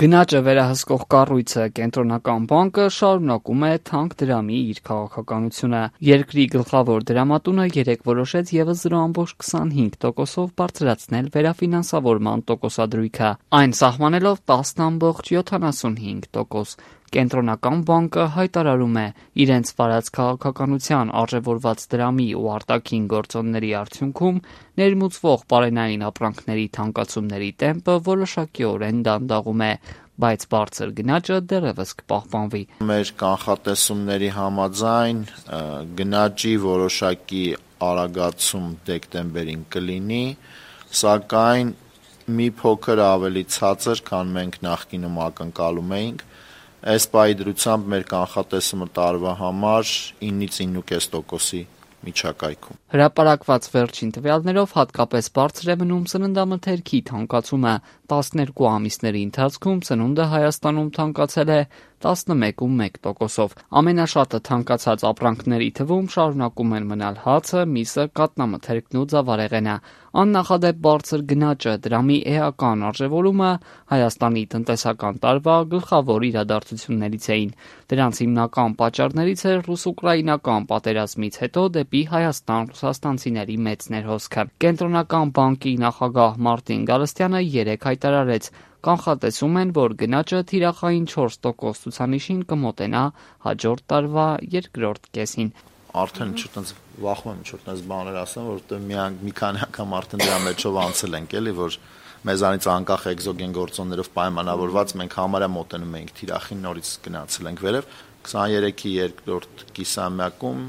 Գնաճը վերահսկող կառույցը Կենտրոնական բանկը շարունակում է թանկ դրամի իր քաղաքականությունը։ Երկրի գլխավոր դրամատունը երեկ որոշեց ևս 0.25%-ով բարձրացնել վերաֆինանսավորման տոկոսադրույքը, այն սահմանելով 10.75%։ Կենտրոնական բանկը հայտարարում է իրենց վարած քաղաքականության արժևորված դրամի ու արտաքին գործոնների արդյունքում ներմուծվող պարենային ապրանքների թանկացումների տեմպը որոշակիորեն դանդաղում է, բայց բարձր գնաճը դեռևս կպահպանվի։ Մեր կանխատեսումների համաձայն գնաճի որոշակի արագացում դեկտեմբերին կլինի, սակայն մի փոքր ավելի ցածր, քան մենք նախկինում ակնկալում էինք։ Այս պահի դրությամբ մեր կանխատեսումը տարվա համար 9-ից 9.5%-ի միջակայքում։ Հրապարակված վերջին տվյալներով հատկապես բարձր է մնում սննդամթերքի թանկացումը։ 12 ամիսների ընթացքում սնունդը Հայաստանում թանկացել է 11.1%-ով։ Ամենաշատը թանկացած ապրանքների թվում շարունակում են մնալ հացը, միսը, կաթնամթերքն ու ձավարեղենը։ Աննախադեպ բարձր գնաճը, դրամի էական արժևորումը Հայաստանի տնտեսական տարվա գլխավոր իրադարձություններից էին։ Դրանց հիմնական պատճառներից էր ռուս-ուկրաինական պատերազմից հետո դեպի Հայաստան ռուսաստանցիների մեծ ներհոսքը։ Կենտրոնական բանկի նախագահ Մարտին Գալստյանը երեկ հայտարարեց, կանխատեսում են, որ գնաճը թիրախային 4% ցուցանիշին կմոտենա հաջորդ տարվա երկրորդ կեսին։ Արդեն վախում եմ ինչ-որ բաներ ասեմ, որովհետև մի քանի անգամ արդեն դրա մեջով անցել ենք, էլի, որ մեզանից անկախ էկզոգեն գործոններով պայմանավորված մենք համարյա մոտենում էինք թիրախին, նորից գնացել ենք վերև։ 23-ի երկրորդ կիսամյակում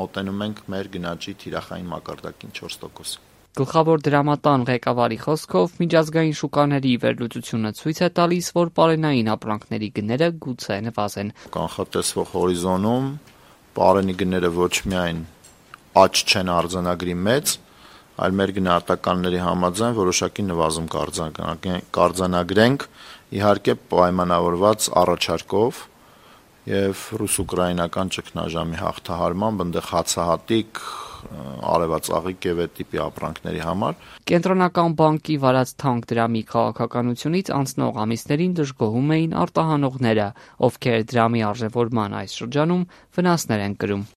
մոտենում ենք մեր գնաճի թիրախային մակարդակին 4%։ Գլխավոր դրամատան ղեկավարի խոսքով միջազգային շուկաների վերլուծությունը ցույց է տալիս, որ պարենային ապրանքների գները գուցե նվազեն։ Կանխատեսվող հորիզոնում պարենի գները ոչ միայն աճ չեն արձանագրի մեծ, այլ մեր գնահատականների համաձայն որոշակի նվազում կարձանագրենք, իհարկե պայմանավորված առաջարկով եւ ռուս-ուկրաինական ճգնաժամի հաղթահարմամբ, այնտեղ հացահատիկ, արևածաղիկ եւ այդ տիպի ապրանքների համար։ Կենտրոնական բանկի վարած թանկ դրամի քաղաքականությունից անցնող ամիսներին դժգոհում էին արտահանողները, ովքեր դրամի արժևորման այս շրջանում վնասներ են կրում։